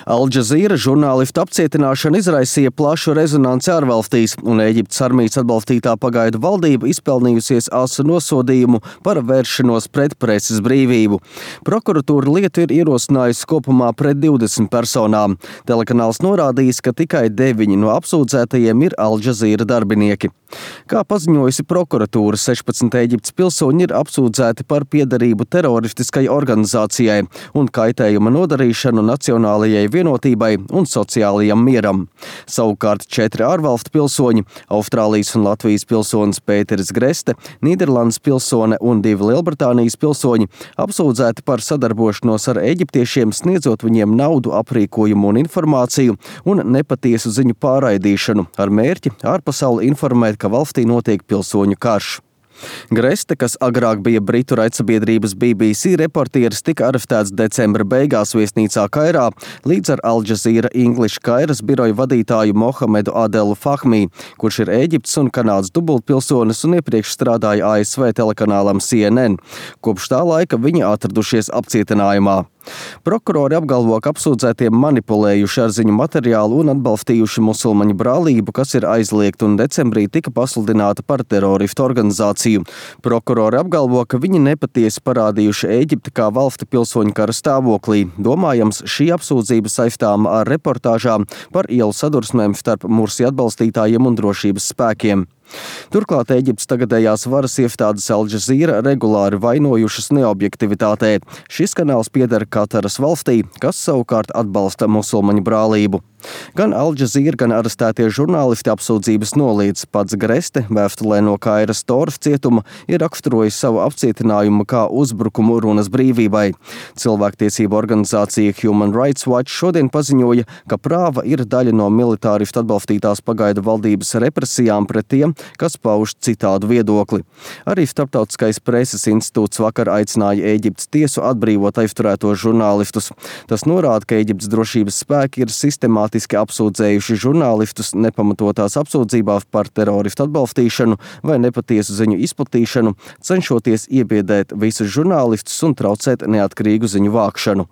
Al-Džazīra žurnālistu apcietināšana izraisīja plašu rezonanci ārvalstīs, un Ēģiptes armijas atbalstītā pagaidu valdība izpelnījusies asu nosodījumu par vēršanos pret preses brīvību. Prokuratūra lietu ir ierosinājusi kopumā pret 20 personām. Telekanāls norādījis, ka tikai 9 no apsūdzētajiem ir Al-Džazīra darbinieki. Kā paziņojusi prokuratūra, 16 Ēģiptes pilsoņi ir apsūdzēti par piederību teroristiskai organizācijai un kaitējuma nodarīšanu nacionālajai vienotībai un sociālajam mieram. Savukārt 4 ārvalstu pilsoņi, Austrālijas un Latvijas pilsonis Pēteris Greste, Nīderlandes pilsone un 2 Lielbritānijas pilsoņi, apsūdzēti par sadarbošanos ar eģiptiešiem, sniedzot viņiem naudu, aprīkojumu un informāciju un nepatiesu ziņu pārraidīšanu ar mērķi ārpasauli informēt, ka valstī notiek pilsoņu karš. Greste, kas agrāk bija britu raidsabiedrības BBC reportieris, tika arestēts decembra beigās viesnīcā Kairā līdz ar Al-Džazīra English Kairas biroja vadītāju Mohamedu Adelu Fahmī, kurš ir Ēģiptes un Kanādas dubultpilsonis un iepriekš strādāja ASV telekanālam CNN. Kopš tā laika viņi atradušies apcietinājumā. Prokurori apgalvo, ka apsūdzētie manipulējuši ar ziņu materiālu un atbalstījuši musulmaņu brālību, kas ir aizliegta un decembrī tika pasludināta par teroristu organizāciju. Prokurori apgalvo, ka viņi nepatiesi parādījuši Ēģipti kā valsti pilsoņu kara stāvoklī. Domājams, šī apsūdzība saistāma ar reportāžām par ielu sadursmēm starp Mursi atbalstītājiem un drošības spēkiem. Turklāt Ēģiptes tagadējās varas iestādes Al-Džazīra regulāri vainojušas neobjektivitātē. Šis kanāls pieder Kataras valstī, kas savukārt atbalsta musulmaņu brālību. Gan Al-Džazīra, gan arestētie žurnālisti apsūdzības noliedz. Pats Greste vēstulē no Kairas Torf cietuma ir raksturojis savu apcietinājumu kā uzbrukumu runas brīvībai. Cilvēktiesību organizācija Human Rights Watch šodien paziņoja, ka prāva ir daļa no militāristu atbalstītās pagaidu valdības represijām pret tiem, kas pauž citādu viedokli. Arī Starptautiskais preses institūts vakar aicināja Ēģiptes tiesu atbrīvot aizturētos žurnālistus. Tas norāda, ka Ēģiptes drošības spēki ir sistemātiski apsūdzējuši žurnālistus nepamatotās apsūdzībās par teroristu atbalstīšanu vai nepatiesu ziņu izplatīšanu, cenšoties iebiedēt visus žurnālistus un traucēt neatkarīgu ziņu vākšanu.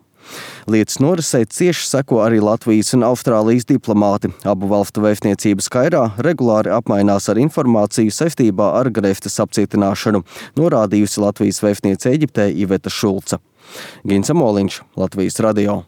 Lietas norisei cieši seko arī Latvijas un Austrālijas diplomāti. Abu valstu vēstniecības Kairā regulāri apmainās ar informāciju saistībā ar Grestes apcietināšanu, norādījusi Latvijas vēstniece Ēģiptē Iveta Šulca. Gins Amoliņš, Latvijas radio.